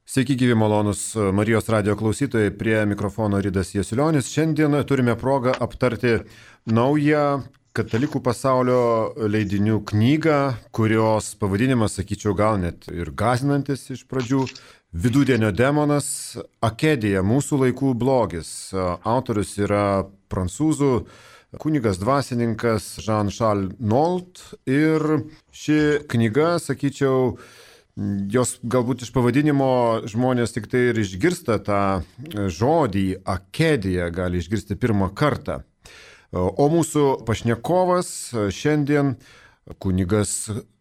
Sveiki, gyvi malonus Marijos radio klausytojai, prie mikrofono Ridas Jasulionis. Šiandien turime progą aptarti naują katalikų pasaulio leidinių knygą, kurios pavadinimas, sakyčiau, gal net ir gąsdinantis iš pradžių. Vidudienio demonas, Akedija, mūsų laikų blogis. Autorius yra prancūzų kunigas dvasininkas Jean-Charles Nault ir ši knyga, sakyčiau, jos galbūt iš pavadinimo žmonės tik tai ir išgirsta tą žodį Akedija, gali išgirsti pirmą kartą. O mūsų pašnekovas šiandien kunigas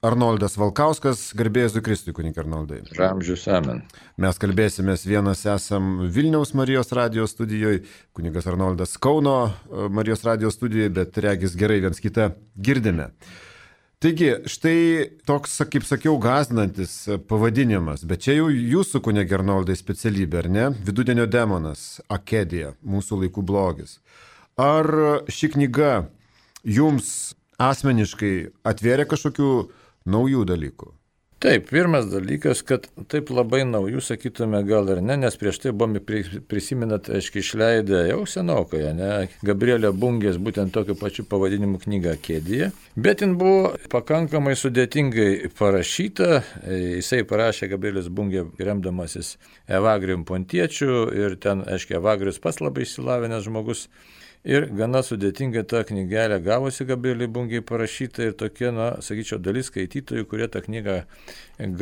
Arnoldas Valkauskas, garbė Jėzui Kristui, kunige Arnoldai. Ramžius amen. Mes kalbėsimės, vienas esam Vilniaus Marijos radijos studijoje, kunigas Arnoldas Kauno Marijos radijos studijoje, bet regis gerai viens kitą girdime. Taigi, štai toks, kaip sakiau, gąsdinantis pavadinimas, bet čia jau jūsų, kunige Arnoldai, specialybė, ar ne? Vidudienio demonas, Akedija, mūsų laikų blogis. Ar ši knyga jums asmeniškai atvėrė kažkokių naujų dalykų? Taip, pirmas dalykas, kad taip labai naujų, sakytume, gal ir ne, nes prieš tai buvome prisiminat, aiškiai, išleidę jau senokai, ne, Gabrielė Bungės būtent tokiu pačiu pavadinimu knygą Akedija, bet jin buvo pakankamai sudėtingai parašyta, jisai parašė Gabrielės Bungė remdamasis Evagrijum Pontiečiu ir ten, aiškiai, Evagrijus pats labai išsilavinęs žmogus. Ir gana sudėtingai ta knygelė gavosi Gabrielei Bungiai parašyta ir tokia, sakyčiau, dalis skaitytojų, kurie tą knygą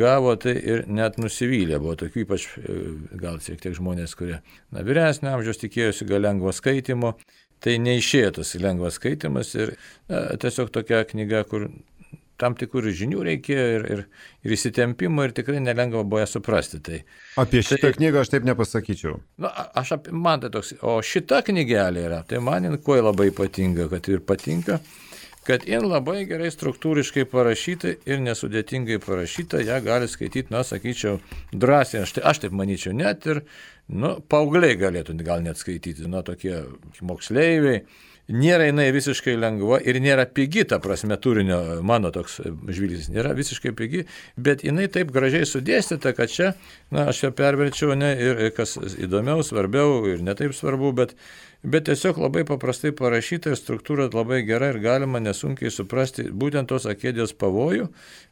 gavo, tai ir net nusivylė. Buvo tokių ypač, gal šiek tiek žmonės, kurie vyresnio amžiaus tikėjosi gal lengvo skaitimo, tai neišėjo tas lengvas skaitimas ir tiesiog tokia knyga, kur tam tikrų žinių reikėjo ir įsitempimo ir tikrai nelengva buvo ją suprasti. Tai, apie šitą knygą aš taip nepasakyčiau. Man tai toks, o šita knygelė yra, tai man jin kuo labai patinka, kad jin labai gerai struktūriškai parašyta ir nesudėtingai parašyta, ją gali skaityti, sakyčiau, drąsiai, aš taip manyčiau, net ir, paaugliai galėtų gal net skaityti, tokie moksleiviai. Nėra jinai visiškai lengva ir nėra pigi, ta prasme turinio, mano toks žvilgsnis, nėra visiškai pigi, bet jinai taip gražiai sudėstyta, kad čia, aš ją perverčiau, ir kas įdomiau, svarbiau ir netaip svarbu, bet tiesiog labai paprastai parašyta ir struktūra labai gera ir galima nesunkiai suprasti būtent tos Akedijos pavojų,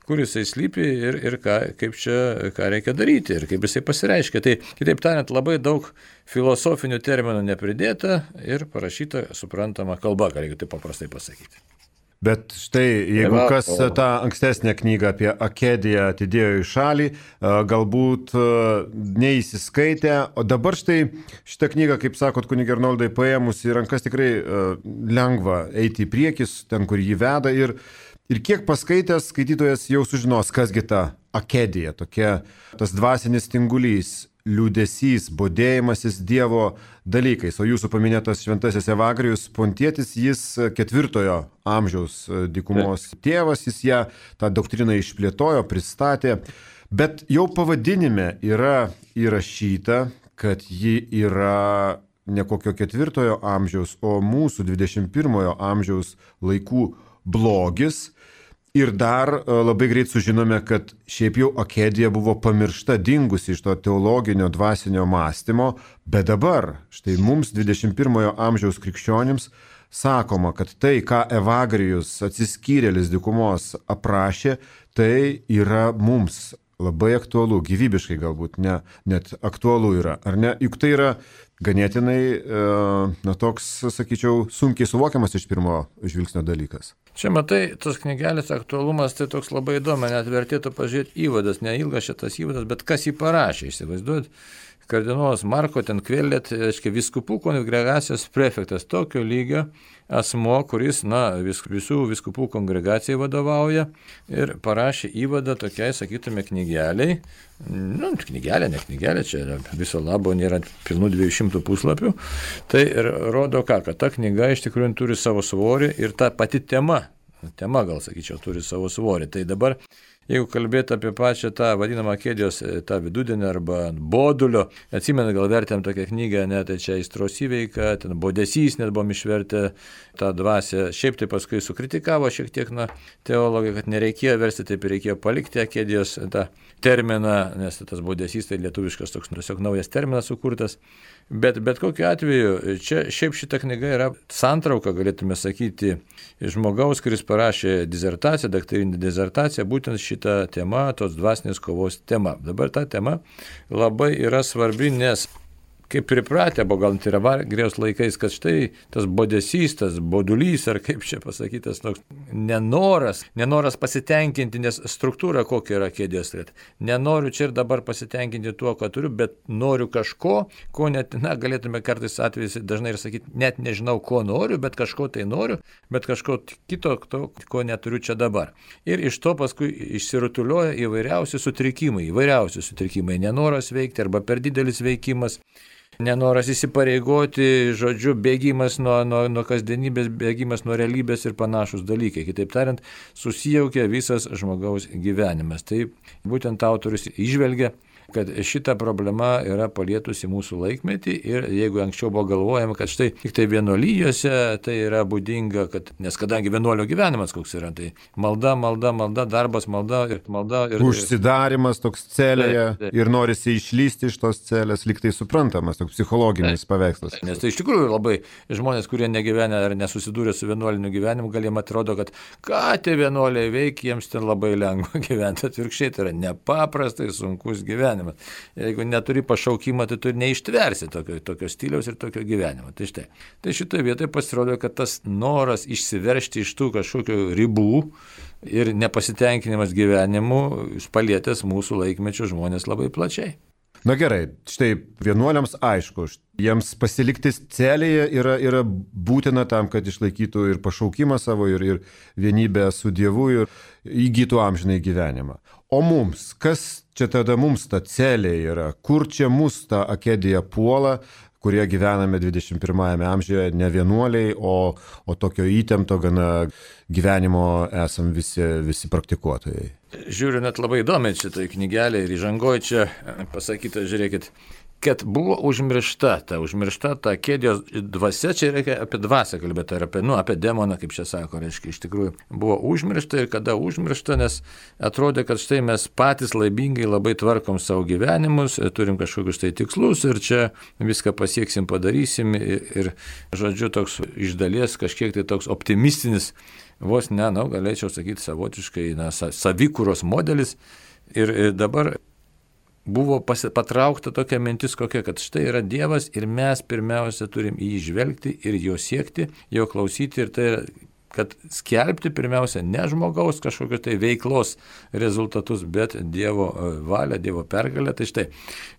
kur jisai slypi ir ką reikia daryti ir kaip jisai pasireiškia. Tai, kitaip tariant, labai daug filosofinių terminų nepridėta ir parašyta suprantama kalba, ką reikia taip paprastai pasakyti. Bet štai, jeigu kas tą ankstesnę knygą apie Akediją atidėjo į šalį, galbūt neįsiskaitė, o dabar štai šitą knygą, kaip sakot, kunige Arnoldai, paėmus į rankas tikrai lengva eiti į priekis, ten, kur jį veda ir kiek paskaitęs skaitytojas jau sužinos, kasgi ta Akedija, tokia tas dvasinis tingulys, liūdesys, bodėjimasis Dievo dalykais. O jūsų paminėtas šventasis Evagrijus Pontietis, jis 4 amžiaus dykumos tėvas, jis ją tą doktriną išplėtojo, pristatė, bet jau pavadinime yra įrašyta, kad ji yra ne kokio 4 amžiaus, o mūsų 21 amžiaus laikų blogis. Ir dar labai greit sužinome, kad šiaip jau Akedija buvo pamiršta, dingusi iš to teologinio dvasinio mąstymo, bet dabar, štai mums 21 amžiaus krikščionims sakoma, kad tai, ką Evagrijus atsiskyrėlis dykumos aprašė, tai yra mums labai aktualu, gyvybiškai galbūt, net aktualu yra, ar ne? Juk tai yra ganėtinai, toks, sakyčiau, sunkiai suvokiamas iš pirmo žvilgsnio dalykas. Čia matai, tos knygelės aktualumas tai toks labai įdomu, net vertėtų pažiūrėti įvadas, neilgas šitas įvadas, bet kas jį parašė, įsivaizduojat, kardinolas Marko ten Kvellet, vyskupų kongregacijos prefektas, tokio lygio asmo, kuris, visų vyskupų kongregacijai vadovauja ir parašė įvadą tokiai, sakytume, knygeliai, ne knygelė, čia yra viso labo, nėra pilnų 200 puslapių, tai rodo kad ta knyga iš tikrųjų turi savo svorį ir ta pati tema gal sakyčiau, turi savo svorį. Tai dabar Jeigu kalbėti apie pačią tą vadinamą kėdės, tą vidudienį arba bodulio, atsimenu, gal vertėm tokią knygą, net tai čia Aistros įveika, ten Bodesys net buvom išvertę tą dvasią, šiaip tai paskui sukritikavo šiek tiek teologai, kad nereikėjo versti, taip ir reikėjo palikti kėdės tą terminą, nes tas Bodesys tai lietuviškas toks tiesiog naujas terminas sukurtas. Bet kokiu atveju, čia šiaip šita knyga yra santrauka, galėtume sakyti, žmogaus, kuris parašė disertaciją, daktarinę disertaciją, būtent šitą temą, tos dvasinės kovos tema. Dabar ta tema labai yra svarbi, nes kaip pripratę, buvo gal tai yra Vargrijos laikais, kad štai tas bodesys, tas bodulys, ar kaip čia pasakytas, toks nenoras pasitenkinti, nes struktūra kokia yra kėdės. Nenoriu čia ir dabar pasitenkinti tuo, ką turiu, bet noriu kažko, ko net, galėtume kartais atvejais dažnai ir sakyti, net nežinau, ko noriu, bet kažko tai noriu, bet kažko kito, ko neturiu čia dabar. Ir iš to paskui išsirutulioja įvairiausi sutrikimai, nenoras veikti arba per didelis veikimas. Nenoras įsipareigoti, žodžiu, bėgimas nuo kasdienybės, bėgimas nuo realybės ir panašus dalykai. Kitaip tariant, susijaukia visas žmogaus gyvenimas. Tai būtent autorius įžvelgia, kad šita problema yra palietusi mūsų laikmetį ir jeigu anksčiau buvo galvojama, kad štai tik tai vienuolijose tai yra būdinga, nes kadangi vienuolio gyvenimas koks yra, tai malda, darbas, malda. Užsidarimas toks celėje ir norisi išlysti iš tos celės, lyg tai suprantamas, toks psichologinis paveikslas. Nes tai iš tikrųjų labai žmonės, kurie negyvenę ar nesusidūrė su vienuoliniu gyvenimu, gal jiems atrodo, kad ką tie vienuoliai veikia, jiems ten labai lengva gyventi, atvirkščiai tai yra nepaprastai sunkus gyvenimas. Jeigu neturi pašaukimą, tai tu neištversi tokio stiliaus ir tokio gyvenimo. Tai šitoje vietoje pasirodo, kad tas noras išsiveržti iš tų kažkokių ribų ir nepasitenkinimas gyvenimu palietęs mūsų laikmečio žmonės labai plačiai. Na gerai, štai vienuoliams aišku, jiems pasilikti celėje yra būtina tam, kad išlaikytų ir pašaukimą savo, ir vienybę su Dievu, ir įgytų amžinai gyvenimą. O mums, kas čia tada mums ta celė yra? Kur čia mus ta akedija puola, kurie gyvename 21 amžiuje, ne vienuoliai, o tokio įtempto gana gyvenimo esam visi praktikuotojai? Žiūriu, net labai įdomiai šitai knygelė ir įžangoj čia pasakyta, žiūrėkit, kad buvo užmiršta ta kėdės dvasia, čia reikia apie dvasią kalbėti, ar apie demoną, kaip čia sako, reiškia, iš tikrųjų buvo užmiršta ir kada užmiršta, nes atrodė, kad štai mes patys laibingai labai tvarkom savo gyvenimus, turim kažkokius tai tikslus ir čia viską pasieksim, padarysim ir žodžiu, toks iš dalies kažkiek tai toks optimistinis, vos galėčiau sakyti savotiškai, savikūros modelis ir dabar buvo patraukta tokia mintis kokia, kad štai yra Dievas ir mes pirmiausia turim į jį žvelgti ir jo siekti, jo klausyti ir tai yra, kad skelbti pirmiausia ne žmogaus kažkokios tai veiklos rezultatus, bet Dievo valią, Dievo pergalę. Tai štai,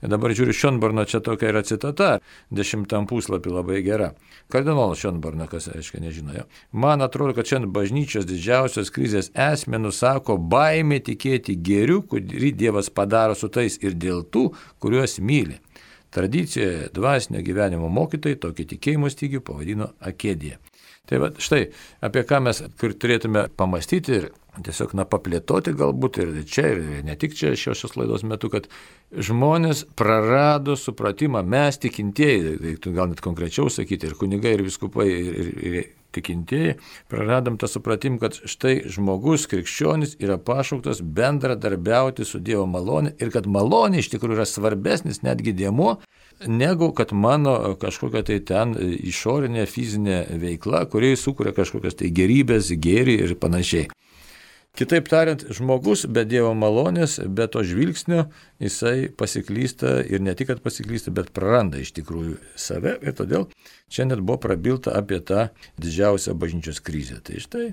dabar žiūriu Šionborno, čia tokia yra citata, 10 puslapį labai gera. Kardinolas Šionborno, kas aiškiai nežino jo. Man atrodo, kad šiandien bažnyčios didžiausios krizės esmė nusako baimė tikėti gėriu, kurį Dievas padaro su tais ir dėl tų, kuriuos myli. Tradicijoje dvasinio gyvenimo mokytojai tokį tikėjimo stygių pavadino akedija. Tai va, štai, apie ką mes turėtume pamastyti ir tiesiog paplėtoti galbūt ir čia, ir ne tik čia šios laidos metu, kad žmonės prarado supratimą, mes tikintieji, reiktų gal net konkrečiau sakyti, ir kunigai, ir vyskupai, ir tikintieji, praradom tą supratimą, kad štai žmogus, krikščionis yra pašauktas bendradarbiauti su Dievo malonė ir kad malonė iš tikrųjų yra svarbesnis netgi dėmuo, negu kad mano kažkokia tai ten išorinė fizinė veikla, kuri sukuria kažkokias tai gerybės, gėrį ir panašiai. Kitaip tariant, žmogus be Dievo malonės, be to žvilgsnio, jisai pasiklysta ir ne tik, kad pasiklysta, bet praranda iš tikrųjų save ir todėl čia net buvo prabilta apie tą didžiausią bažnyčios krizę. Tai štai.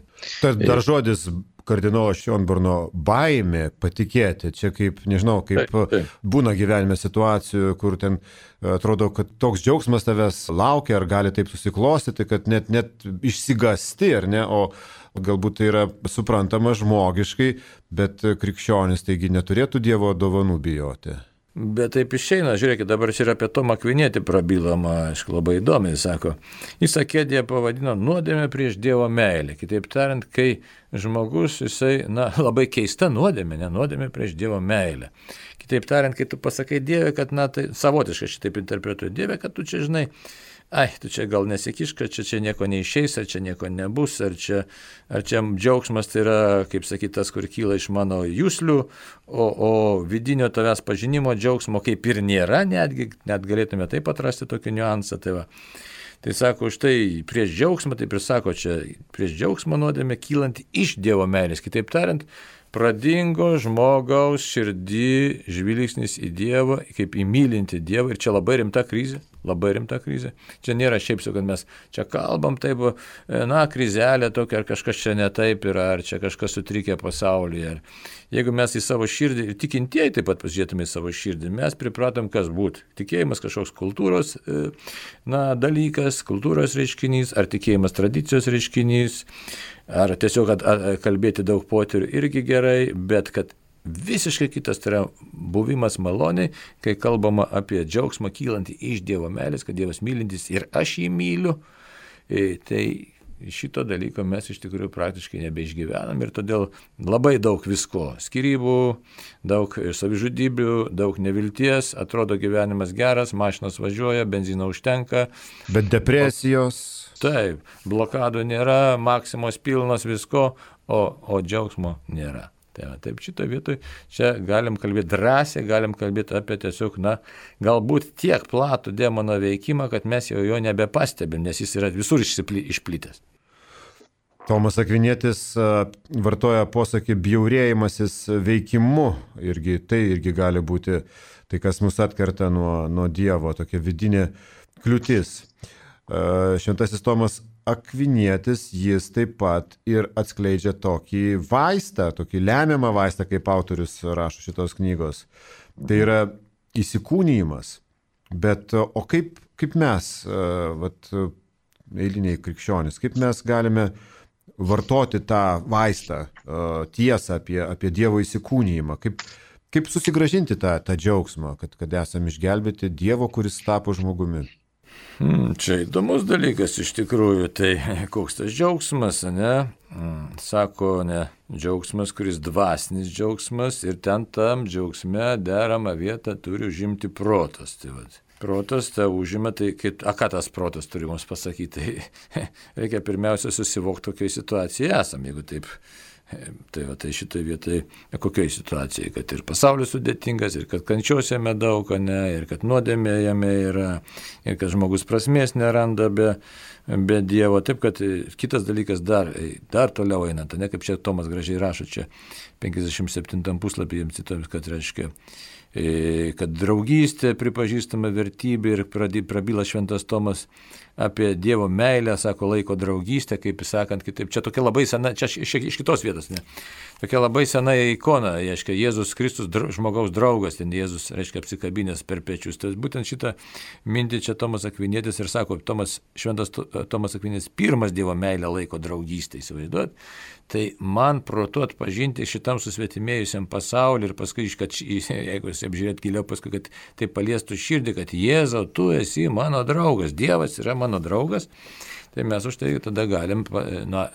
Dar žodis kardinolo Šionborno baimė patikėti, čia kaip, nežinau, kaip būna gyvenime situacijų, kur ten atrodo, kad toks džiaugsmas tavęs laukia, ar gali taip susiklostyti, kad net išsigasti, ar ne, o galbūt tai yra suprantama žmogiškai, bet krikščionis taigi neturėtų Dievo dovanų bijoti. Bet taip išeina, žiūrėkit, dabar čia ir apie Tomą Akvinietį prabilama, aišku, labai įdomiai, sako. Jis akėdėje pavadino nuodėmę prieš Dievo meilę. Kitaip tariant, kai žmogus, jisai, labai keista nuodėmė, ne nuodėmė prieš Dievo meilę. Kitaip tariant, kai tu pasakai Dievui, kad, tai savotiškai šitaip interpretuoji Dievę, kad tu čia žinai, tu čia gal nesikišk, kad čia nieko neišeis, ar čia nieko nebus, ar čia džiaugsmas tai yra, kaip sakyti, tas, kur kyla iš mano juslių, o vidinio tavęs pažinimo džiaugsmo kaip ir nėra, net galėtume taip atrasti tokį niuansą. Tai sako, štai prieš džiaugsmą, taip ir sako, čia prieš džiaugsmą nuodėmė kylanti iš Dievo meilės. Kitaip tariant, pradingo žmogaus širdį žvilgsnis į Dievą, kaip į mylintį Dievą, ir čia labai rimta krizė. Čia nėra šiaip sau, kad mes čia kalbam taip, krizelė tokia, ar kažkas čia ne taip yra, ar čia kažkas sutrikę pasaulyje. Jeigu mes į savo širdį, ir tikintieji taip pat pasižiūrėtume į savo širdį, mes pripratom kas būti. Tikėjimas kažkoks kultūros dalykas, kultūros reiškinys, ar tikėjimas tradicijos reiškinys, ar tiesiog kalbėti daug potyrių irgi gerai, bet kad visiškai kitas tai yra buvimas maloniai, kai kalbama apie džiaugsmą kylantį iš Dievo meilės, kad Dievas mylintis ir aš jį myliu, tai šito dalyko mes iš tikrųjų praktiškai nebeišgyvenam ir todėl labai daug visko, skyrybų, daug savižudybių, daug nevilties, atrodo gyvenimas geras, mašinos važiuoja, benzino užtenka. Bet depresijos. Taip, blokadų nėra, maksimos pilnos visko, o džiaugsmo nėra. Taip, šitą vietoj čia galim kalbėti drąsiai, galim kalbėti apie tiesiog, galbūt tiek platų demono veikimą, kad mes jau jo nebepastebim, nes jis yra visur išplitęs. Tomas Akvinietis vartoja posakį bjaurėjimasis veikimu, tai irgi gali būti tai, kas mus atkerta nuo Dievo, tokia vidinė kliūtis. Šventasis Tomas Akvinietis, jis taip pat ir atskleidžia tokį vaistą, tokį lemiamą vaistą, kaip autorius rašo šitos knygos. Tai yra įsikūnijimas. Bet o kaip mes, eiliniai krikščionys, kaip mes galime vartoti tą vaistą, tiesą apie Dievo įsikūnijimą, kaip susigrąžinti tą džiaugsmą, kad esame išgelbėti Dievo, kuris tapo žmogumi. Čia įdomus dalykas iš tikrųjų, tai koks tas džiaugsmas, ne? Sako, ne, džiaugsmas, kuris dvasinis džiaugsmas ir tam džiaugsme deramą vietą turi užimti protas. Protas tą užima, tai ką tas protas turi mums pasakyti? Tai reikia pirmiausia susivokti, kokioje situacijoje esam, jeigu taip. Tai šitoje vietoje kokioje situacijoje, kad ir pasaulis sudėtingas, ir kad kančios jame daug, ir kad nuodėmė jame yra, ir kad žmogus prasmės neranda be Dievo. Taip, kad kitas dalykas dar toliau einant, ne kaip čia Tomas gražiai rašo, čia 57 puslapį jiems citomis, kad reiškia, kad draugystė pripažįstama vertybė ir prabyla šventas Tomas apie Dievo meilę, sako, laiko draugystę, kaip sakant, kitaip. Čia tokia labai sena, čia iš kitos vietos, ne? Tokia labai sena ikona, reiškia, Jėzus Kristus žmogaus draugas, ten Jėzus, reiškia, apsikabinęs per pečius. Tai būtent šitą mintį čia Tomas Akvinietis ir sako, šventas Tomas Akvinietis pirmas Dievo meilę laiko draugystę, įsivaizduot. Tai man protu atpažinti šitam susvetimėjusiam pasauliu ir paskui, jeigu jis apžiūrėt giliau, paskui, kad tai paliestų širdį, kad Jėzau, tu esi mano draugas, Dievas yra mano draugas, tai mes už tai tada galim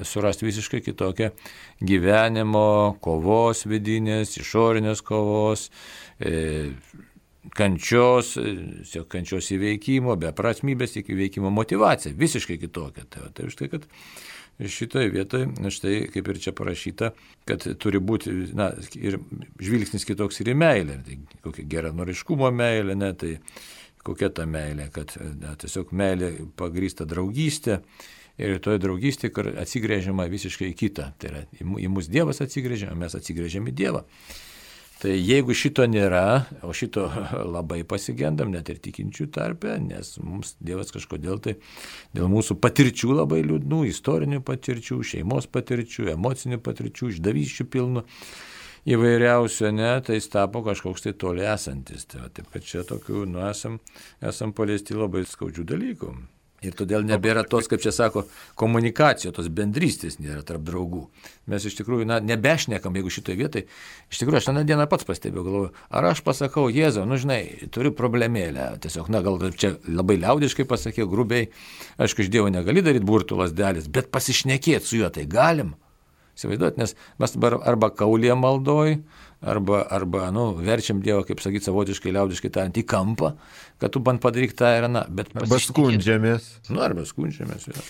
surasti visiškai kitokią gyvenimo kovos vidinės, išorinės kovos, kančios įveikimo, beprasmybės įveikimo motyvacija, visiškai kitokia. Tai už tai, kad šitoje vietoje, štai kaip ir čia parašyta, kad turi būti ir žvilgsnis kitoks ir į meilę. Tai kokia geranoriškumo meilė, tai kokia ta meilė, kad tiesiog meilė pagrįsta draugystė ir toje draugystėje, kur atsigrėžiama visiškai į kitą. Tai yra į mus Dievas atsigrėžia, o mes atsigrėžiam į Dievą. Tai jeigu šito nėra, o šito labai pasigendam, net ir tikinčių tarpe, nes mums Dievas kažkodėl tai dėl mūsų patirčių labai liūdnų, istorinių patirčių, šeimos patirčių, emocinių patirčių, išdavysčių pilnų įvairiausių, tai jis tapo kažkoks tai toli esantis. Taip, kad čia tokių, esam paliesti labai skaudžių dalykų. Ir todėl nebėra tos, kaip čia sako, komunikacijos, tos bendrystės nėra tarp draugų. Mes iš tikrųjų, nebešnekam, jeigu šitoje vietoje, iš tikrųjų, aš tą dieną pats pastebėjau, galvoju, ar aš pasakau, Jėzau, žinai, turiu problemėlę, tiesiog, gal čia labai liaudiškai pasakiau, grubiai, aišku, iš Dievo negali daryti burtų lasdelis, bet pasišnekėti su juo tai galim. Įsivaizduot, nes mes dabar arba kaulė maldoj, arba verčiam Dievą, kaip sakyti, savotiškai, liaudiškai tariant, į kampą, kad tu band padaryk tą ir aną. Arba skundžiamės. Arba skundžiamės. Ja.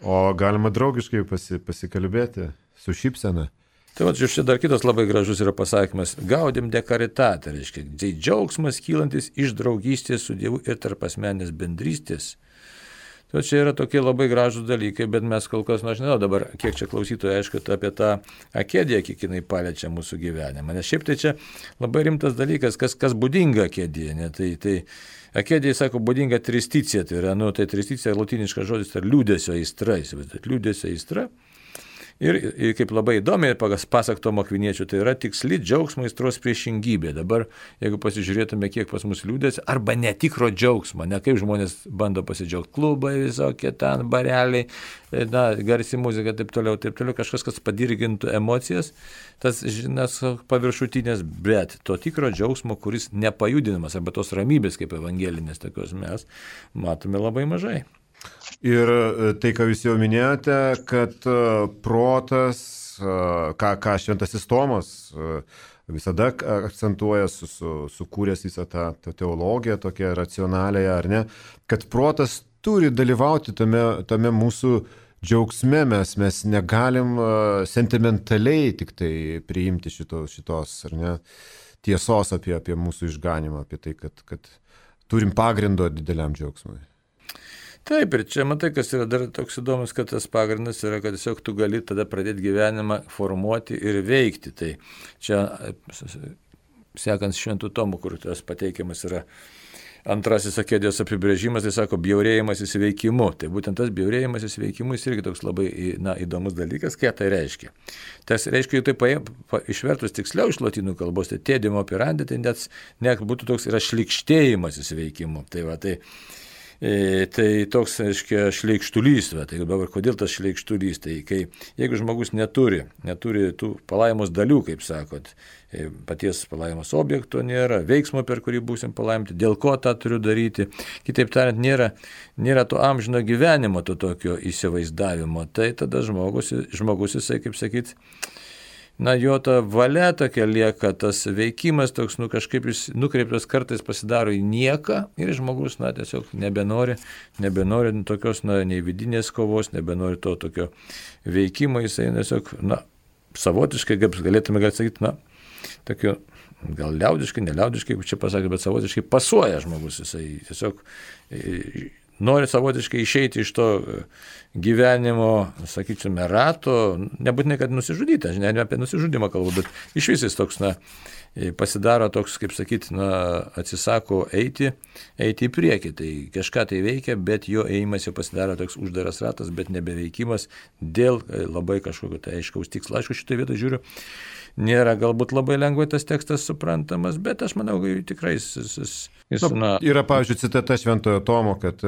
O galima draugiškai pasikalbėti su šypsena. Tai va, čia dar kitas labai gražus yra pasakymas. Gaudim de caritate, reiškia, džiaugsmas kylantis iš draugystės su Dievu ir tarp asmenės bendrystės. Tai čia yra tokie labai gražūs dalykai, bet mes kol kas, aš nežinau dabar, kiek čia klausytojai, aišku, apie tą akediją, kiek jinai paliečia mūsų gyvenimą. Nes šiaip tai čia labai rimtas dalykas, kas būdinga akedija. Ne? Tai akedijai, sako, būdinga tristicija, tai yra, tai tristicija latiniškas žodis, tai liūdesio aistra, įsivaizduot, liūdesio aistra. Ir kaip labai įdomiai, pasak Tomo Akviniečio, tai yra tiksli džiaugsmo aistros priešingybė. Dabar, jeigu pasižiūrėtume, kiek pas mus liūdėsi, arba netikro džiaugsmo, ne kaip žmonės bando pasidžiaugti, klubai visokie ten, bareliai, garsi muzika, taip toliau, kažkas, kas padirgintų emocijas, tas, žinas, paviršutinės, bet to tikro džiaugsmo, kuris nepajudinamas, arba tos ramybės, kaip evangelinės tokios mes, matome labai mažai. Ir tai, ką jūs jau minėjote, kad protas, ką šventasis Tomas visada akcentuoja, sukūręs visą tą teologiją, tokią racionaliąją, ar ne, kad protas turi dalyvauti tame mūsų džiaugsme, mes negalim sentimentaliai tik tai priimti šitos, ar ne, tiesos apie mūsų išganimą, apie tai, kad turim pagrindo dideliam džiaugsmui. Taip, ir čia matai, kas yra dar toks įdomus, kad tas pagrindas yra, kad tiesiog tu gali tada pradėti gyvenimą formuoti ir veikti. Tai čia, sekant Šventų Tomų, kur tas pateikiamas yra antrasis akedijos apibrėžimas, tai sako bjaurėjimas įsiveikimu. Tai būtent tas bjaurėjimas įsiveikimu jis irgi toks labai įdomus dalykas, ką tai reiškia. Tas reiškia, jau tai išvertus tiksliau iš lotynų kalbos, tai tėdimo operandi, tai net būtų toks yra šlikštėjimas įsiveikimu. Tai toks, reiškia, šleikštulys. Tai dabar kodėl tas šleikštulys? Tai jeigu žmogus neturi tų palaimos dalių, kaip sakot, paties palaimos objekto nėra, veiksmo, per kurį būsim palaiminti, dėl ko tą turiu daryti, kitaip tariant, nėra to amžino gyvenimo, to tokio įsivaizdavimo, tai tada žmogus jisai, kaip sakyt, jo ta valia tokia lieka, tas veikimas toks, kažkaip jis nukreiptas kartais pasidaro į nieką ir žmogus, tiesiog nebenori tokios, nei vidinės kovos, nebenori to tokio veikimo, jisai tiesiog, savotiškai, kaip galėtume sakyti, tokio, gal liaudiškai, neliaudiškai, kaip čia pasakė, bet savotiškai pasuoja žmogus, jisai tiesiog nori savotiškai išeiti iš to gyvenimo, sakyčiame, rato, nebūtinai, kad nusižudyti, ne apie nusižudimą kalbu, bet iš vis toks, pasidaro toks, kaip sakyti, atsisako eiti į priekį, tai kažką tai veikia, bet jo ėjimas jau pasidaro toks uždaras ratas, bet nebeveikimas dėl labai kažkokio tai aiškaus tikslo. Aišku, šitoje vietoje žiūriu, nėra galbūt labai lengvai tas tekstas suprantamas, bet aš manau, tikrai jis yra, pavyzdžiui, citata Šventojo Tomo, kad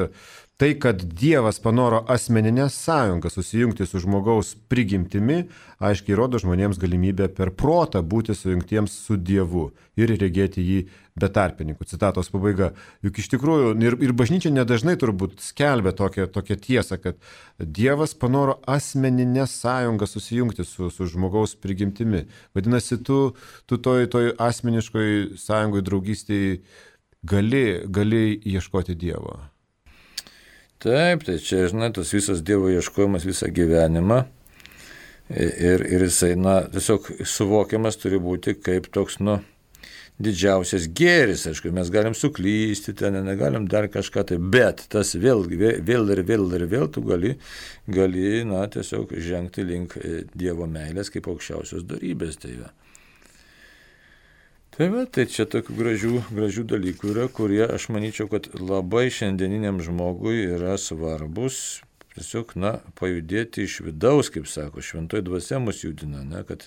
tai, kad Dievas panoro asmeninę sąjungą susijungti su žmogaus prigimtimi, aiškiai rodo žmonėms galimybę per protą būti sujungtiems su Dievu ir regėti jį be tarpininkų. Citatos pabaiga. Juk iš tikrųjų ir bažnyčia nedažnai turbūt skelbia tokią tiesą, kad Dievas panoro asmeninę sąjungą susijungti su žmogaus prigimtimi. Vadinasi, tu toj asmeniškoj sąjungoj draugystėj gali ieškoti Dievo. Taip, tai čia, tas visas Dievo ieškojimas visą gyvenimą ir jisai, tiesiog suvokiamas turi būti kaip toks, didžiausias gėris. Aišku, mes galim suklysti, ten negalim dar kažką, tai, bet tas vėl tu gali, tiesiog žengti link Dievo meilės kaip aukščiausios dorybės. Tai čia tokių gražių dalykų yra, kurie, aš manyčiau, kad labai šiandieniniam žmogui yra svarbus, tiesiog, pajudėti iš vidaus, kaip sako, šventoji dvasia mus judina, kad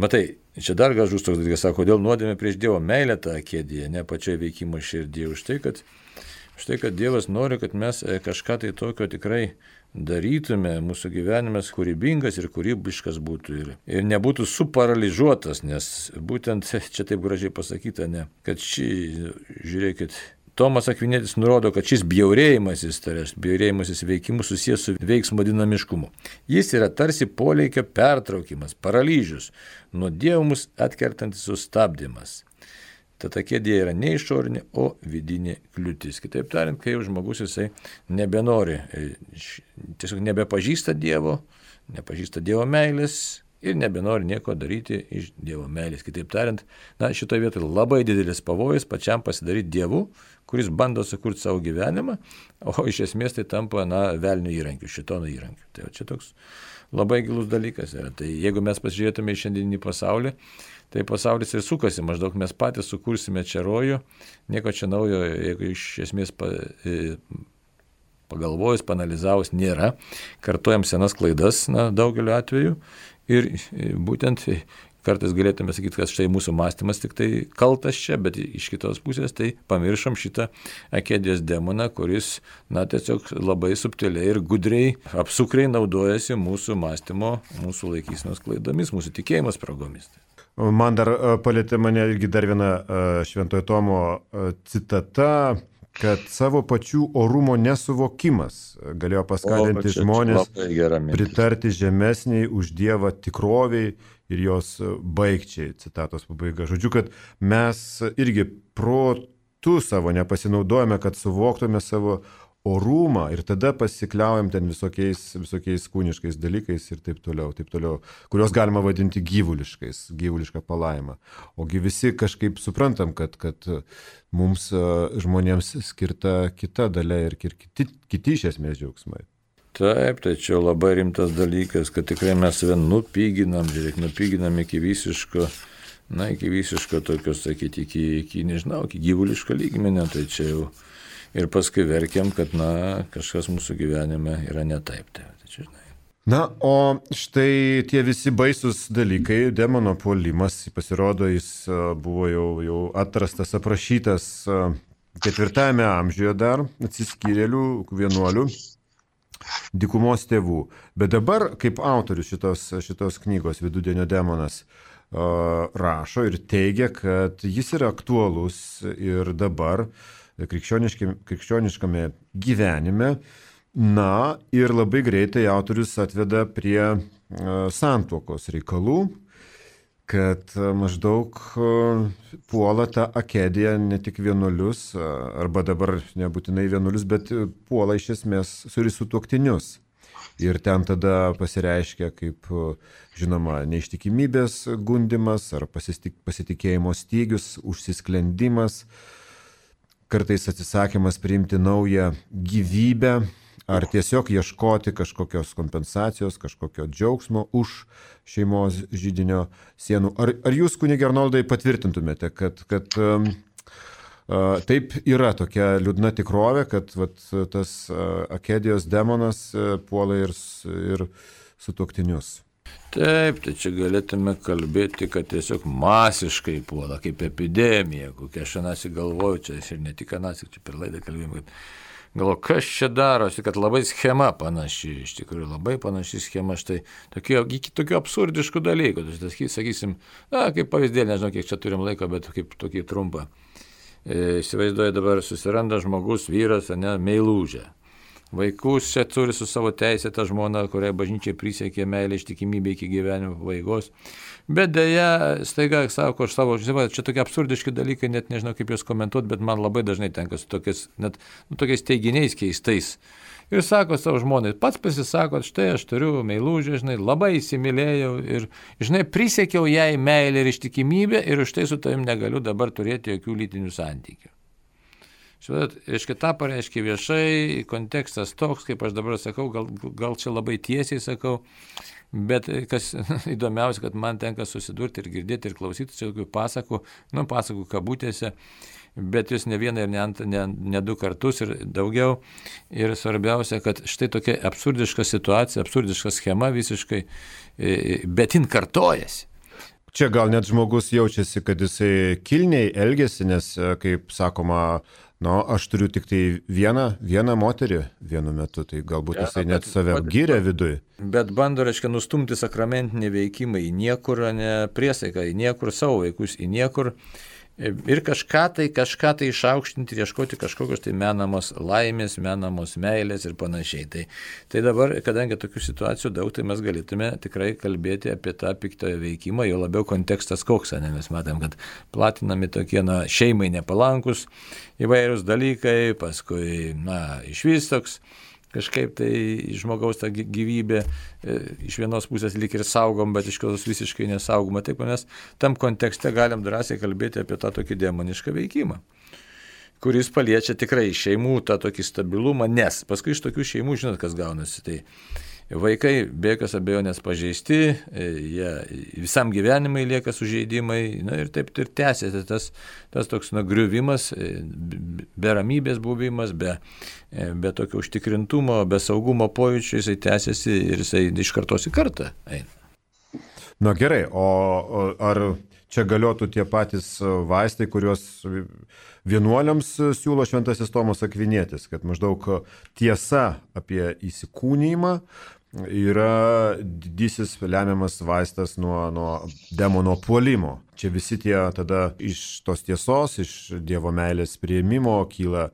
matai, čia dar gražus toks dalykas, sako, kodėl nuodėmė prieš Dievo meilę tą akediją, ne pačioje veikimo širdyje, už tai, kad Štai, kad Dievas nori, kad mes kažką tai tokio tikrai darytume, mūsų gyvenimas kūrybingas ir kūrybiškas būtų ir nebūtų suparaližuotas, nes būtent čia taip gražiai pasakyta, ne, kad žiūrėkit, Tomas Akvinietis nurodo, kad šis bjaurėjimasis, tai reiškia bjaurėjimasis veikimu susijęs su veiksmo dinamiškumu. Jis yra tarsi poleikio pertraukimas, paralyžius, nuo Dievo mus atkertantis sustabdymas. Tad akedija yra ne išorinė, o vidinė kliūtis. Kitaip tariant, kai jau žmogus jisai nebenori, tiesiog nebepažįsta Dievo, nepažįsta Dievo meilės ir nebenori nieko daryti iš Dievo meilės. Kitaip tariant, šitoje vietoje labai didelis pavojus pačiam pasidaryti Dievu, kuris bando sukurti savo gyvenimą, o iš esmės tai tampa, velnio įrankiu, šitono įrankiu. Tai čia toks labai gilus dalykas yra. Tai jeigu mes pasižiūrėtume į šiandieninį pasaulį, tai pasaulis ir sukasi, maždaug mes patys sukursime čia rojų, nieko čia naujo, jeigu iš esmės pagalvojus, panalizavus nėra, kartuojam senas klaidas daugeliu atveju ir būtent kartais galėtume sakyti, kad štai mūsų mąstymas tik tai kaltas čia, bet iš kitos pusės tai pamiršom šitą akedijos demoną, kuris tiesiog labai subtiliai ir gudriai, apsukriai naudojasi mūsų mąstymo, mūsų laikysenos klaidomis, mūsų tikėjimo spragomis. Man dar palėtė mane irgi dar viena Šventojo Tomo citata, kad savo pačių orumo nesuvokimas galėjo paskatinti žmonės pritarti žemesniai už Dievą tikroviai ir jos baigčiai, citatos pabaiga. Žodžiu, kad mes irgi protu savo nepasinaudojame, kad suvoktume savo orumą ir tada pasikliaujam ten visokiais kūniškais dalykais ir taip toliau, kuriuos galima vadinti gyvulišką palaimą. Ogi visi kažkaip suprantam, kad mums žmonėms skirta kita dalia ir kiti iš esmės džiaugsmai. Taip, tai čia labai rimtas dalykas, kad tikrai mes save nupiginam iki visiško, tokios, sakyti, iki gyvuliško lygmenio, tai čia jau ir paskui verkiam, kad kažkas mūsų gyvenime yra ne taip. Tai čia, o štai tie visi baisus dalykai, demono puolimas, pasirodo, jis buvo jau atrastas, aprašytas 4 amžiuje dar, atsiskyrėlių, vienuolių, dykumos tėvų. Bet dabar, kaip autorius šitos knygos Vidudienio demonas rašo ir teigia, kad jis yra aktualus ir dabar krikščioniškame gyvenime. Ir labai greitai autorius atveda prie santuokos reikalų, kad maždaug puola tą akedija ne tik vienuolius, arba dabar nebūtinai vienuolius, bet puola iš esmės sutuoktinius. Ir ten tada pasireiškia kaip, žinoma, neištikimybės gundimas ar pasitikėjimo stygius, užsisklendimas, kartais atsisakymas priimti naują gyvybę, ar tiesiog ieškoti kažkokios kompensacijos, kažkokio džiaugsmo už šeimos židinio sienų. Ar jūs, kunige Arnoldai, patvirtintumėte, kad taip yra tokia liūdna tikrovė, kad tas akedijos demonas puola ir sutuoktinius? Taip, tai čia galėtume kalbėti, kad tiesiog masiškai puola, kaip epidemija, kokia aš anasi galvoju, čia ir ne tik anasi, čia per laidą kalbėjom, kad galvoju, kas čia darosi, kad labai schema panaši, iš tikrųjų labai panaši schema, štai tokių absurdiškų dalykų, sakysim, kaip pavyzdėlį, nežinau, kiek čia turim laiko, bet kaip tokį trumpą. Įsivaizduoju, dabar susiranda žmogus, vyras, meilužę. Vaikus čia turi su savo teisėta žmona, kuriai bažnyčiai prisiekė meilę ištikimybę iki gyvenimo pabaigos. Bet dėja, staiga sako, čia tokie absurdiški dalykai, net nežinau kaip juos komentuoti, bet man labai dažnai tenka su tokiais teiginiais keistais. Ir sako savo žmonai, pats pasisako, štai aš turiu meilužę, labai įsimylėjau ir, prisiekiau jai meilę ir ištikimybę ir už tai su tavim negaliu dabar turėti jokių lytinių santykių. Reiškia, tą pareiškia viešai, kontekstas toks, kaip aš dabar sakau, gal čia labai tiesiai sakau, bet kas įdomiausia, kad man tenka susidurti ir girdėti ir klausyti čia tokių pasakų kabutėse, bet jūs ne vieną ir ne 2 kartus ir daugiau. Ir svarbiausia, kad štai tokia absurdiška situacija, absurdiška schema visiškai, bet jin kartojasi. Čia gal net žmogus jaučiasi, kad jisai kilniai elgesi, nes, kaip sakoma, Aš turiu tik tai vieną moterį vienu metu, tai galbūt jisai net save gyrė viduje. Bet bando, reiškia, nustumti sakramentinį veikimą į niekur, ne priesaiką, į niekur, savo vaikus į niekur. Ir kažką tai išaukštinti ir ieškoti kažkokios tai menamos laimės, menamos meilės ir panašiai. Tai dabar, kadangi tokių situacijų daug, tai mes galėtume tikrai kalbėti apie tą piktojo veikimą, jo labiau kontekstas koks, ne? Mes matom, kad platinami tokie, šeimai nepalankus įvairūs dalykai, paskui, išvis toks kažkaip tai žmogaus ta gyvybė iš vienos pusės lyg ir saugom, bet iš kitos visiškai nesaugoma. Taip, mes tam kontekste galim drąsiai kalbėti apie tą tokį demonišką veikimą, kuris paliečia tikrai šeimų tą tokį stabilumą, nes paskui iš tokių šeimų, žinot, kas gaunasi. Tai vaikai be jokios abejonės pažeisti, jie visam gyvenimai lieka sužeidimai, ir taip ir tęsiasi tas toks griuvimas, be ramybės buvimas, be tokio užtikrintumo, be saugumo pojūčio, jisai tęsiasi ir jisai iš kartos į kartą eina. Gerai, o ar čia galiotų tie patys vaistai, kuriuos vienuoliams siūlo šventasis Tomas Akvinietis, kad maždaug tiesa apie įsikūnijimą yra didysis lemiamas vaistas nuo demono puolimo. Čia visi tie tada iš tos tiesos, iš Dievo meilės priėmimo kyla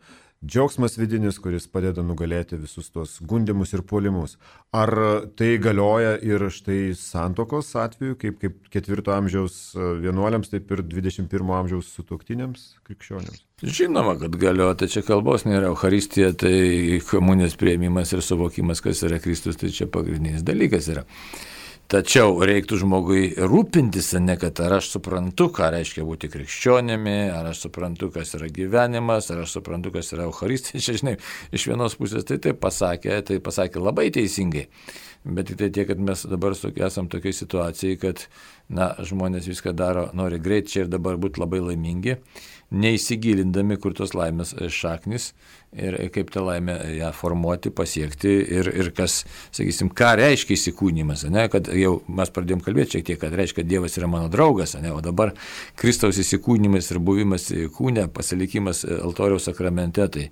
džiaugsmas vidinis, kuris padeda nugalėti visus tos gundymus ir puolimus. Ar tai galioja ir štai santuokos atveju, kaip 4 amžiaus vienuoliams, taip ir 21 amžiaus sutuoktiniams krikščionims? Žinoma, kad galioja, tai čia kalbos nėra. Eucharistija, tai komunijos priėmimas ir suvokimas, kas yra Kristus, tai čia pagrindinis dalykas yra. Tačiau reiktų žmogui rūpintis, ne kad ar aš suprantu, ką reiškia būti krikščionimi, ar aš suprantu, kas yra gyvenimas, ar aš suprantu, kas yra Eucharistija. Čia, žinai, iš vienos pusės tai pasakė labai teisingai. Bet tik tai tiek, kad mes dabar esam tokiai situacijai, kad žmonės viską daro, nori greit čia ir dabar būti labai laimingi, neįsigilindami, kur tos laimės šaknis ir kaip tą laimę ją formuoti, pasiekti ir kas, sakysim, ką reiškia įsikūnimas, kad jau mes pradėjom kalbėti šiek tiek, kad reiškia, kad Dievas yra mano draugas, o dabar Kristaus įsikūnimas ir buvimas kūne, pasilikimas altoriaus sakramente, tai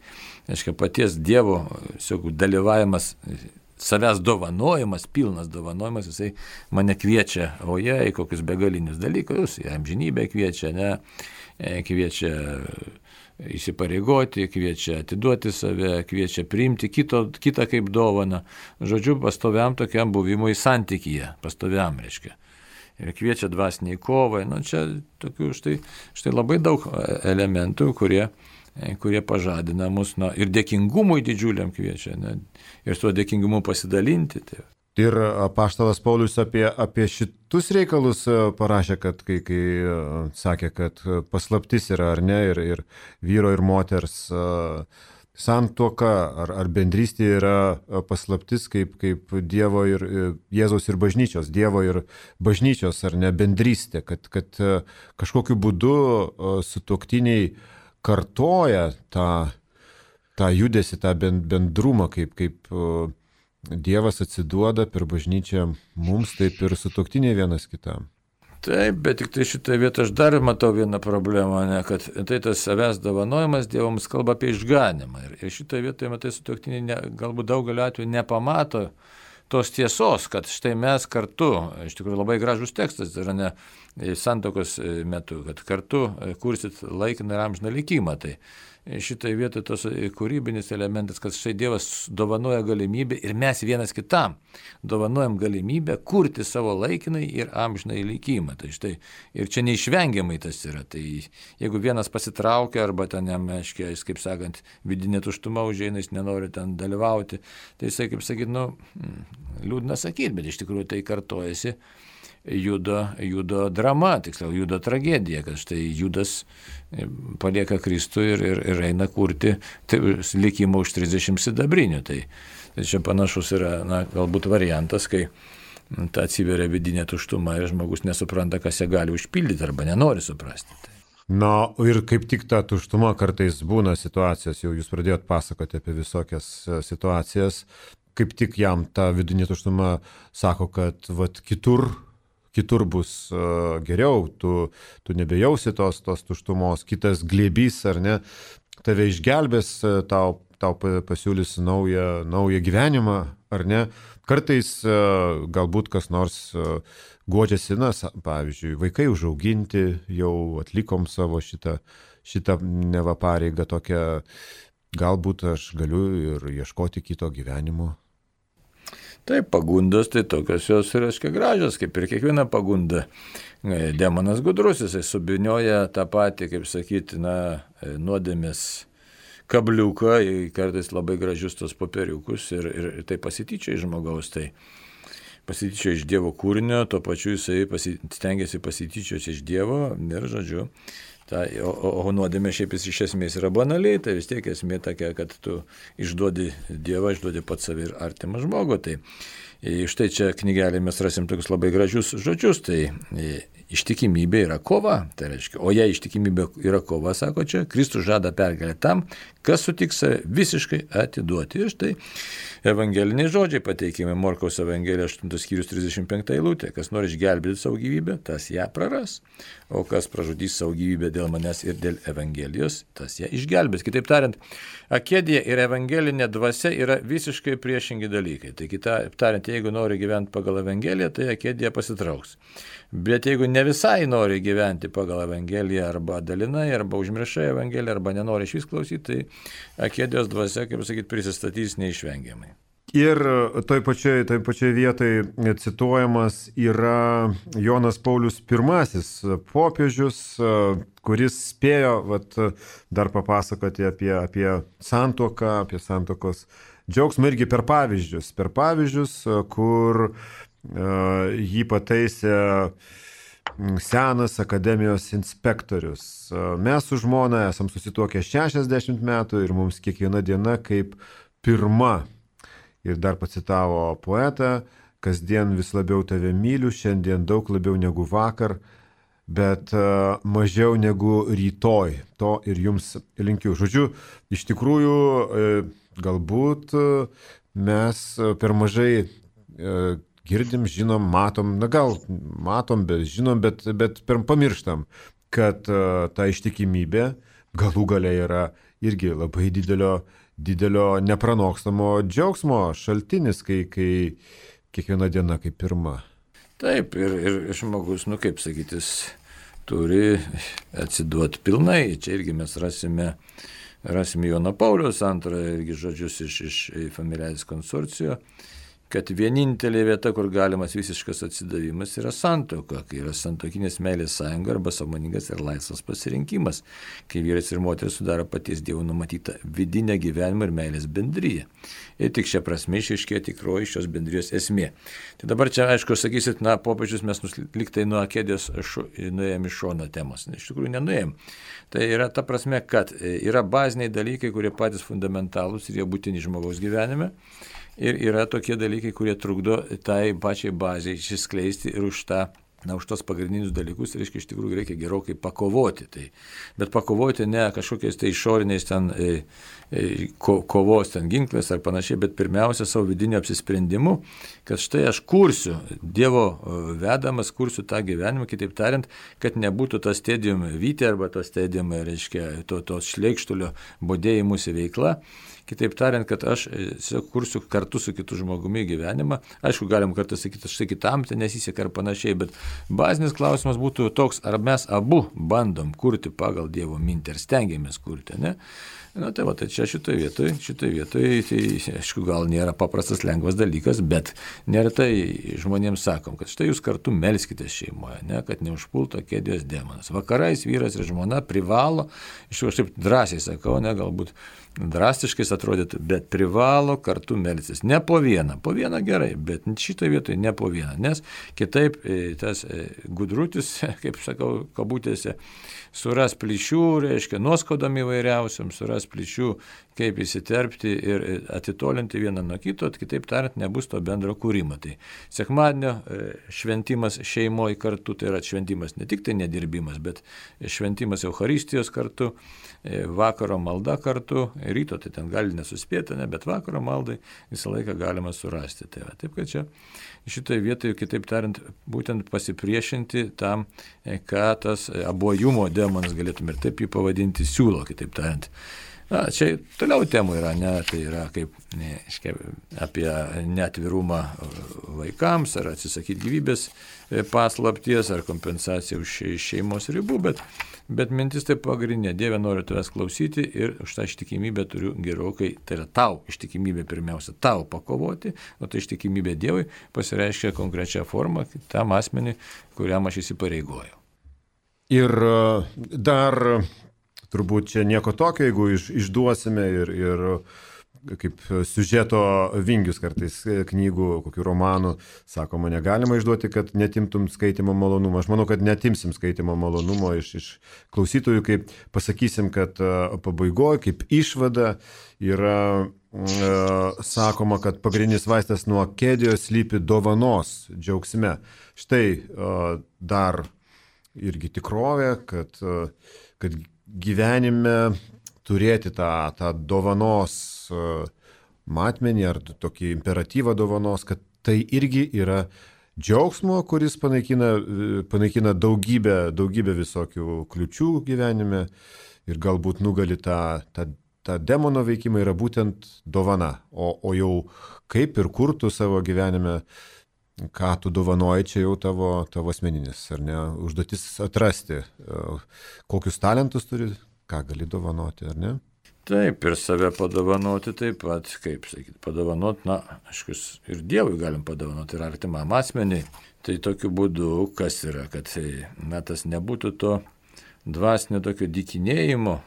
reiškia paties Dievo dalyvavimas, savęs dovanojimas, pilnas dovanojimas, jisai mane kviečia, į kokius begalinius dalykus, į amžinybę kviečia, kviečia įsipareigoti, kviečia atiduoti save, kviečia priimti kitą kaip dovaną. Žodžiu, pastoviam tokiam buvimui santykyje, pastoviam reiškia. Ir kviečia dvasiniai kovai. Čia tokių štai labai daug elementų, kurie pažadina mus, ir dėkingumui didžiuliam kviečia, ir tuo dėkingumu pasidalinti. Ir apaštalas Paulius apie šitus reikalus parašė, kad kai sakė, kad paslaptis yra ar ne, ir vyro ir moters santuoka ar bendrystė yra paslaptis kaip Dievo ir Jėzaus ir bažnyčios, Dievo ir bažnyčios ar ne bendrystė, kad kažkokiu būdu sutuoktiniai kartoja tą judesį, tą bendrumą, kaip Dievas atsiduoda per bažnyčią mums, taip ir sutuoktiniai vienas kitam. Taip, bet tik tai šitoje vietoje aš dar matau vieną problemą, kad tai tas savęs dovanojimas Dievams kalba apie išganimą. Ir šitoje vietoje, matai, sutuoktiniai galbūt daugeliu atveju nepamato tos tiesos, kad štai mes kartu, iš tikrųjų labai gražus tekstas yra ne santuokos metu, kad kartu kursit laikiną ir amžiną likimą. Tai šitai vietoje tos kūrybinis elementas, kad štai Dievas dovanoja galimybę ir mes vienas kitam dovanojam galimybę kurti savo laikinai ir amžinai likimą. Tai štai ir čia neišvengiamai tas yra. Tai jeigu vienas pasitraukia arba ten jam, aiškiai, kaip sakant, vidinė tuštuma užeina, jis nenori ten dalyvauti, tai jisai, kaip sakyt, liūdna sakyti, bet iš tikrųjų tai kartojasi Judo drama, tiksliau Judo tragedija, kad štai Judas palieka Kristų ir eina kurti likimą už 30 sidabrinių. Tai čia panašus yra, galbūt variantas, kai atsiveria vidinė tuštuma ir žmogus nesupranta, kas ją gali užpildyti arba nenori suprasti. Ir kaip tik ta tuštuma kartais būna situacijos, jau jūs pradėjot pasakoti apie visokias situacijas, kaip tik jam ta vidinė tuštuma sako, kad kitur bus geriau, tu nebejausi tos tuštumos, kitas glėbys ar ne, tave išgelbės, tau pasiūlys naują gyvenimą, ar ne? Kartais galbūt kas nors guodžiasi, pavyzdžiui, vaikai užauginti, jau atlikom savo šitą neva pareigą tokią, galbūt aš galiu ir ieškoti kito gyvenimo. Taip, pagundos, tai tokios jos reiškia gražios, kaip ir kiekviena pagunda. Demonas gudrus, jisai subinioja tą patį, kaip sakyti, nuodėmės kabliuką, kartais labai gražius tos popieriukus ir tai pasityčia iš žmogaus, tai pasityčia iš Dievo kūrinio, tuo pačiu jisai stengiasi pasityčioti iš Dievo ir, žodžiu, o nuodėmė šiaip iš esmės yra banaliai, tai vis tiek esmė tokia, kad tu išduodi Dievą, išduodi pats savį ir artimą žmogų. Tai štai čia knygelė mes rasim tokius labai gražius žodžius, tai ištikimybė yra kova, tai reiškia, o jei ištikimybė yra kova, sako čia, Kristus žada pergalę tam, kas sutiks visiškai atiduoti. Ir štai evangeliniai žodžiai pateikime Morkaus Evangelija 8 skyrius 35 eilutė, kas nori išgelbėti savo gyvybę, tas ją praras, o kas pražudys savo gyvybę dėl manęs ir dėl Evangelijos, tas ją išgelbės. Kitaip tariant, akedija ir evangelinė dvasia yra visiškai priešingi dalykai. Tai kitaip tariant, jeigu nori gyventi pagal Evangeliją, tai akedija pasitrauks. Bet jeigu ne visai nori gyventi pagal Evangeliją arba dalinai, arba užmiršai Evangeliją, arba nenori iš vis klausyti, tai akedijos dvasia, kaip sakyti, prisistatys neišvengiamai. Ir toj pačioj vietoj cituojamas yra Jonas Paulius I, popiežius, kuris spėjo dar papasakoti apie santuoką, apie santuokos džiaugsmą irgi per pavyzdžius, kur jį pataisė senas akademijos inspektorius. Mes su žmona esam susituokę 60 metų ir mums kiekviena diena kaip pirma. Ir dar pacitavo poetą, kasdien vis labiau tave myliu, šiandien daug labiau negu vakar, bet mažiau negu rytoj. To ir jums linkiu. Žodžiu, iš tikrųjų, galbūt mes per mažai girdim, žinom, matom, gal matom, bet žinom, bet pamirštam, kad ta ištikimybė galų gale yra irgi labai didelio nepranokstamo džiaugsmo šaltinis, kai kiekviena diena kaip pirma. Taip, ir žmogus, kaip sakytis, turi atsiduoti pilnai. Čia irgi mes rasime Jono Pauliaus antrojo irgi žodžius iš Familiaris Consortio, kad vienintelė vieta, kur galimas visiškas atsidavimas, yra santuoka, kai yra santuokinės meilės sąjunga arba sąmoningas ir laisvas pasirinkimas, kai vyras ir moteris sudaro paties Dievo numatytą vidinę gyvenimo ir meilės bendryją. Ir tik šią prasme išaiškėja tikroji šios bendrijos esmė. Tai dabar čia, aišku, sakysit, popiežius mes liktai nuo akedijos nuėjom iš šono temos. Iš tikrųjų, nenuėjom. Tai yra ta prasme, kad yra baziniai dalykai, kurie patys fundamentalūs ir jie būtini žmogaus gyvenime. Ir yra tokie dalykai, kurie trukdo tai pačiai baziai išsiskleisti ir už tos pagrindinius dalykus, reiškia, iš tikrųjų reikia gerokai pakovoti. Bet pakovoti ne kažkokiais išoriniais kovos ginklais ar panašiai, bet pirmiausia savo vidinio apsisprendimu, kad štai aš kursiu, Dievo vedamas, kursiu tą gyvenimą, kitaip tariant, kad nebūtų tas stadium vytė arba tas stadium, reiškia, to šleikštulio bodėjimusi veikla. Kitaip tariant, kad aš kursiu kartu su kitu žmogumi gyvenimą. Aišku, galim kartą sakyti, štai kitam tai nesiseka ar panašiai, bet bazinis klausimas būtų toks, ar mes abu bandom kurti pagal Dievo mintį, ar stengiamės kurti, ne? Tai čia šitoje vietoje, tai aišku, gal nėra paprastas lengvas dalykas, bet neretai žmonėms sakom, kad štai jūs kartu melskite šeimoje, ne, kad neužpultų akedijos demonas. Vakarais vyras ir žmona privalo, iš tikrųjų, aš taip drąsiai sakau, ne, galbūt drastiškai atrodytų, bet privalo kartu melstis. Ne po vieną gerai, bet šitoje vietoje ne po vieną, nes kitaip tas gudrutis, kaip sakau, kabutėse, suras plyšių, reiškia, nuoskaudami įvairiausiam, suras plyšių, kaip įsiterpti ir atitolinti vieną nuo kito, kitaip tariant, nebus to bendro kūrimo. Tai sekmadienio šventimas šeimoje kartu, tai yra šventimas ne tik tai nedirbimas, bet šventimas Eucharistijos kartu, vakaro malda kartu, ryto tai ten gali nesuspėti, bet vakaro maldai visą laiką galima surasti. Tai taip, kad čia šitoje vietoje, kitaip tariant, būtent pasipriešinti tam, ką tas abuojumo demonas, galėtume ir taip jį pavadinti, siūlo, kitaip tariant. Čia toliau temų yra, ne, tai yra kaip apie neatvirumą vaikams, ar atsisakyti gyvybės paslapties, ar kompensaciją už šeimos ribų, bet mintis tai pagrindinė. Dieve, noriu tavęs klausyti ir už tą ištikimybę turiu gerokai, tai yra tau ištikimybė pirmiausia, tau pakovoti, o tai ištikimybė Dievui pasireiškia konkrečią formą tam asmeniui, kuriam aš įsipareigoju. Ir dar turbūt čia nieko tokio, jeigu išduosime ir kaip siužeto vingius kartais knygų, kokių romanų, sakoma, negalima išduoti, kad netimtum skaitimo malonumo. Aš manau, kad netimsim skaitimo malonumo iš klausytojų, kaip pasakysim, kad pabaigoje, kaip išvada yra sakoma, kad pagrindinis vaistas nuo akedijos slypi dovanos džiaugsme. Štai dar irgi tikrovė, kad gyvenime turėti tą dovanos matmenį ar tokį imperatyvą dovanos, kad tai irgi yra džiaugsmo, kuris panaikina daugybę visokių kliučių gyvenime ir galbūt nugali tą demono veikimą yra būtent dovana. O jau kaip ir kur tu savo gyvenime, ką tu dovanoji, čia jau tavo asmeninis, ar ne, užduotis atrasti, kokius talentus turi, ką gali dovanoti, ar ne? Taip, ir save padovanoti taip pat, kaip sakyti, padovanoti, aišku, ir Dievui galim padovanoti, ir artimam asmeniui. Tai tokiu būdu, kas yra, kad tas nebūtų to dvasinio tokio dykinėjimo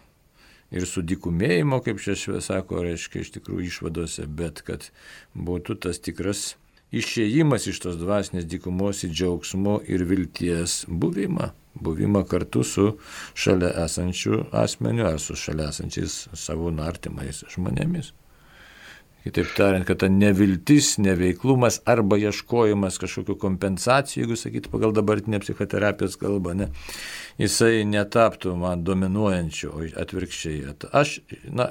ir sudykumėjimo, kaip čia sako, reiškia iš tikrųjų išvadose, bet kad būtų tas tikras išėjimas iš tos dvasinės dykumos į džiaugsmo ir vilties buvimą kartu su šalia esančiu asmeniu ar su šalia esančiais savo artimais žmonėmis. Kitaip tariant, kad ta neviltis, neveiklumas arba ieškojimas kažkokių kompensacijų, jeigu sakyti pagal dabartinę psichoterapijos kalbą, jisai netaptų man dominuojančiu, o atvirkščiai.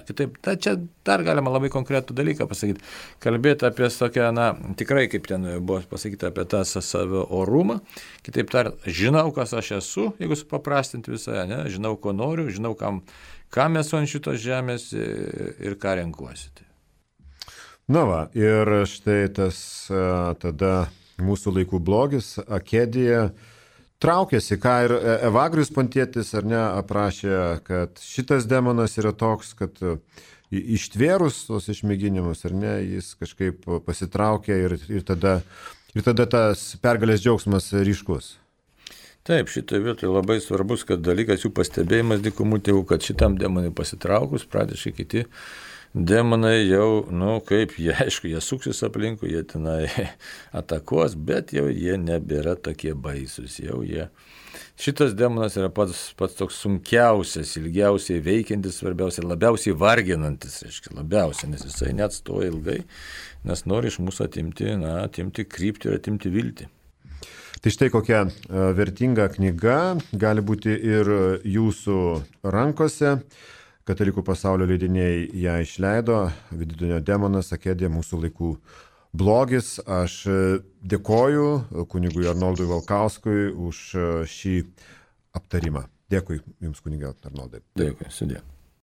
Kitaip, čia dar galima labai konkretų dalyką pasakyti. Kalbėti apie tokią, tikrai, kaip ten buvo pasakyti, apie tą savo orumą. Kitaip tariant, žinau, kas aš esu, jeigu supaprastinti visą, žinau, ko noriu, žinau, kam esu ant šitos žemės ir ką renkuosi. Ir štai tas tada mūsų laikų blogis, akedija, traukėsi, ką ir Evagrius Pontietis, ar ne, aprašė, kad šitas demonas yra toks, kad ištvėrus tos išmėginimus, ar ne, jis kažkaip pasitraukė ir tada tas pergalės džiaugsmas ryškus. Taip, šitoje vietoje labai svarbus, kad dalykas jų pastebėjimas dykumų tėvų, kad šitam demonui pasitraukus, pradėškai kiti demonai jau, jie suksis aplinkui, jie tenai atakuos, bet jau jie nebėra tokie baisus. Šitas demonas yra pats toks sunkiausias, ilgiausiai veikiantis, svarbiausiai, labiausiai varginantis, labiausiai, nes jisai neatstoja ilgai, nes nori iš mūsų atimti kryptį ir atimti viltį. Tai štai kokia vertinga knyga gali būti ir jūsų rankose. Katalikų pasaulio leidiniai ją išleido, Vidudienio demonas, akedija, mūsų laikų blogis. Aš dėkoju kunigui Arnoldui Valkauskui už šį aptarimą. Dėkui Jums, kunige Arnoldai. Dėkui, sudie.